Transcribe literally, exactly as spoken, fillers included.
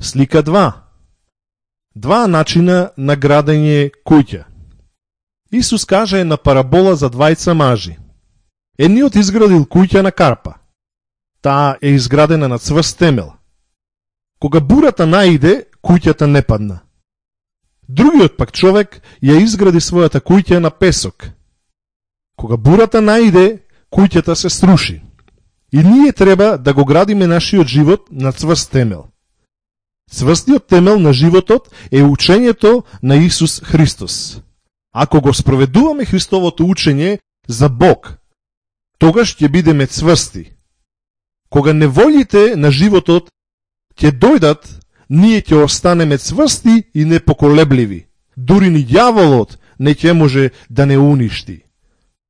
Слика два. Два начина на градење куќа. Исус каже на парабола за двајца мажи. Едниот изградил куќа на карпа. Таа е изградена на цврст темел. Кога бурата наиде, куќата не падна. Другиот пак човек ја изгради својата куќа на песок. Кога бурата наиде, куќата се сруши. И ние треба да го градиме нашиот живот на цврст темел. Цврстиот темел на животот е учењето на Исус Христос. Ако го спроведуваме Христовото учење за Бог, тогаш ќе бидеме цврсти. Кога неволите на животот ќе дојдат, ние ќе останеме цврсти и непоколебливи. Дури ни ѓаволот не ќе може да не уништи.